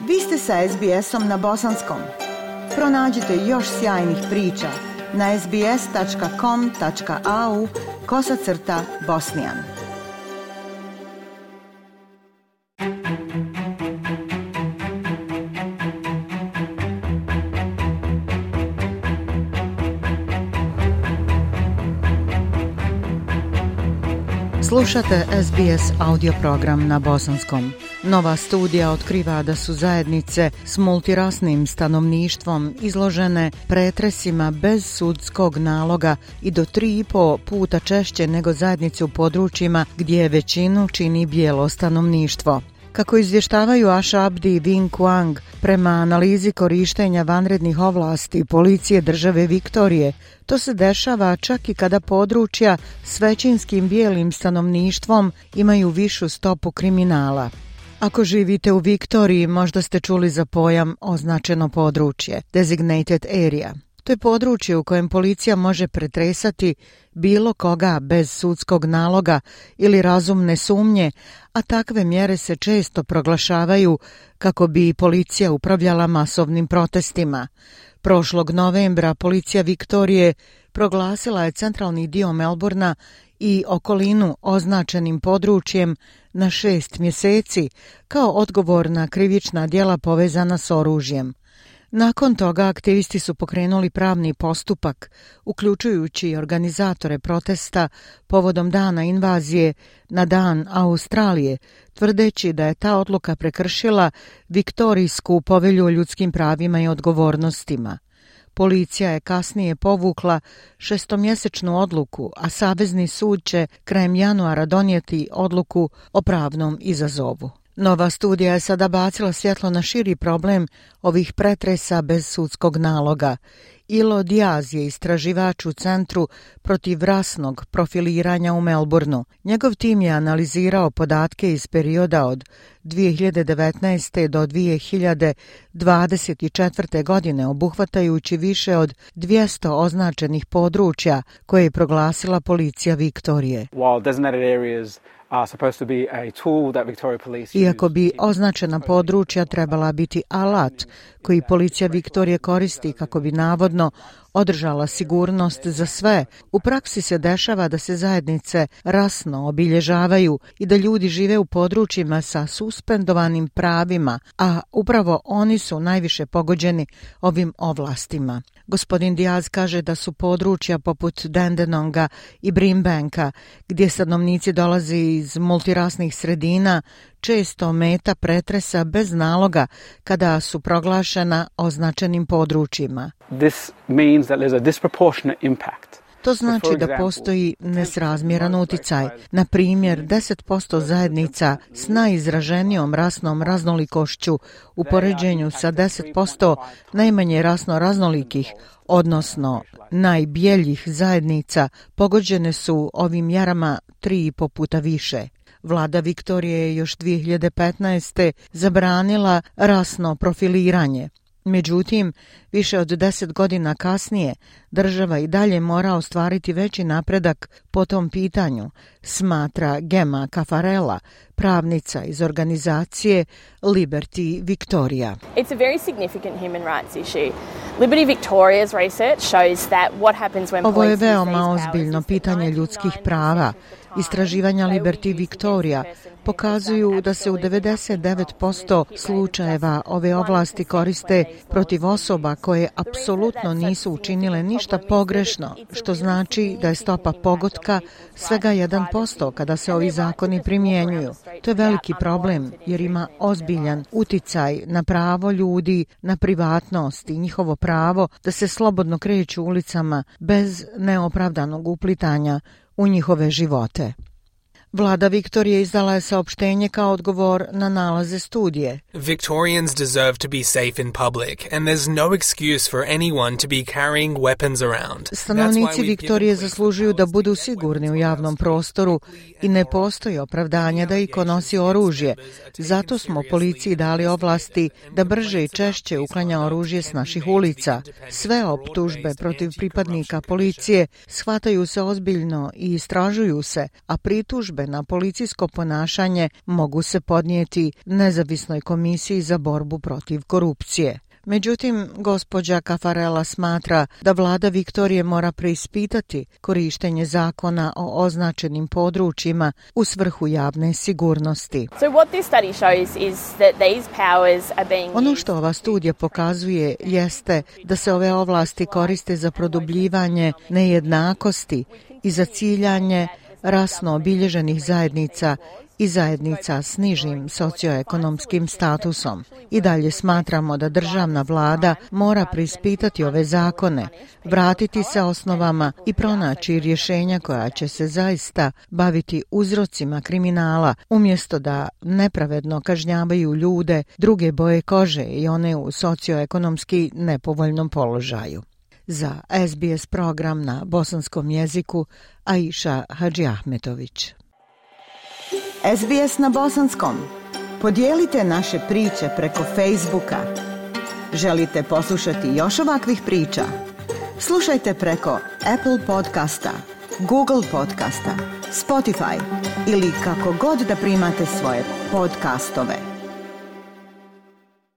Vi ste sa SBS-om na bosanskom. Pronađite još sjajnih priča na sbs.com.au/bosnian. Slušate SBS audio program na bosanskom. Nova studija otkriva da su zajednice s multirasnim stanovništvom izložene pretresima bez sudskog naloga i do 3,5 puta češće nego zajednice u područjima gdje većinu čini bijelo stanovništvo. Kako izvještavaju Asha Abdi i Vinh Quang, prema analizi korištenja vanrednih ovlasti policije države Viktorije, to se dešava čak i kada područja s većinskim bijelim stanovništvom imaju višu stopu kriminala. Ako živite u Viktoriji, možda ste čuli za pojam označeno područje, designated area. To je područje u kojem policija može pretresati bilo koga bez sudskog naloga ili razumne sumnje, a takve mjere se često proglašavaju kako bi policija upravljala masovnim protestima. Prošlog novembra policija Viktorije proglasila je centralni dio Melbourna i okolinu označenim područjem na 6 mjeseci kao odgovor na krivična djela povezana s oružjem. Nakon toga aktivisti su pokrenuli pravni postupak, uključujući organizatore protesta povodom dana invazije na dan Australije, tvrdeći da je ta odluka prekršila Viktorijsku povelju o ljudskim pravima i odgovornostima. Policija je kasnije povukla 6-mjesečnu odluku, a Savezni sud će krajem januara donijeti odluku o pravnom izazovu. Nova studija je sada bacila svjetlo na širi problem ovih pretresa bez sudskog naloga. Ilo Diaz je istraživač u Centru protiv rasnog profiliranja u Melbourneu. Njegov tim je analizirao podatke iz perioda od 2019. do 2024. godine, obuhvatajući više od 200 označenih područja koje je proglasila policija Viktorije. Iako bi označena područja trebala biti alat koji policija Viktorije koristi kako bi navodno održala sigurnost za sve, u praksi se dešava da se zajednice rasno obilježavaju i da ljudi žive u područjima sa suspendovanim pravima, a upravo oni su najviše pogođeni ovim ovlastima. Gospodin Diaz kaže da su područja poput Dandenonga i Brimbanka, gdje stanovnici dolaze iz multirasnih sredina, često meta pretresa bez naloga kada su proglašena označenim područjima. To znači da postoji nesrazmjeran uticaj. Na primjer, 10% zajednica s najizraženijom rasnom raznolikošću u poređenju sa 10% najmanje rasno raznolikih, odnosno najbjeljih zajednica, pogođene su ovim mjerama 3,5 puta više. Vlada Viktorije je još 2015. zabranila rasno profiliranje. Međutim, više od 10 godina kasnije država i dalje mora ostvariti veći napredak po tom pitanju, smatra Gemma Caffarella, pravnica iz organizacije Liberty Victoria. It's a very significant human rights issue. Liberty Victoria's research shows that what happens when Ovo je veoma ozbiljno pitanje ljudskih prava. Istraživanja Liberty Victoria pokazuju da se u 99% slučajeva ove ovlasti koriste protiv osoba koje apsolutno nisu učinile ništa pogrešno, što znači da je stopa pogotka svega 1% kada se ovi zakoni primjenjuju. To je veliki problem jer ima ozbiljan uticaj na pravo ljudi, na privatnost i njihovo pravo da se slobodno kreću ulicama bez neopravdanog uplitanja u njihove živote. Vlada Viktorije izdala je saopštenje kao odgovor na nalaze studije. Victorians deserve to be safe in public and there's no excuse for anyone to be carrying weapons around. Stanovnici Viktorije zaslužuju da budu sigurni u javnom prostoru i ne postoji opravdanje da iko nosi oružje. Zato smo policiji dali ovlasti da brže i češće uklanja oružje s naših ulica. Sve optužbe protiv pripadnika policije shvataju se ozbiljno i istražuju se, a pritužbe pritužbe na policijsko ponašanje mogu se podnijeti Nezavisnoj komisiji za borbu protiv korupcije. Međutim, gospođa Caffarella smatra da vlada Viktorije mora preispitati korištenje zakona o označenim područjima u svrhu javne sigurnosti. Ono što ova studija pokazuje jeste da se ove ovlasti koriste za produbljivanje nejednakosti i za ciljanje rasno obilježenih zajednica i zajednica s nižim socioekonomskim statusom. I dalje smatramo da državna vlada mora preispitati ove zakone, vratiti se osnovama i pronaći rješenja koja će se zaista baviti uzrocima kriminala, umjesto da nepravedno kažnjavaju ljude druge boje kože i one u socioekonomski nepovoljnom položaju. Za SBS program na bosanskom jeziku Aisha Hadžiahmetović. SBS na bosanskom. Podijelite naše priče preko Facebooka. Želite poslušati još ovakvih priča? Slušajte preko Apple podcasta, Google podcasta, Spotify ili kako god da primate svoje podcastove.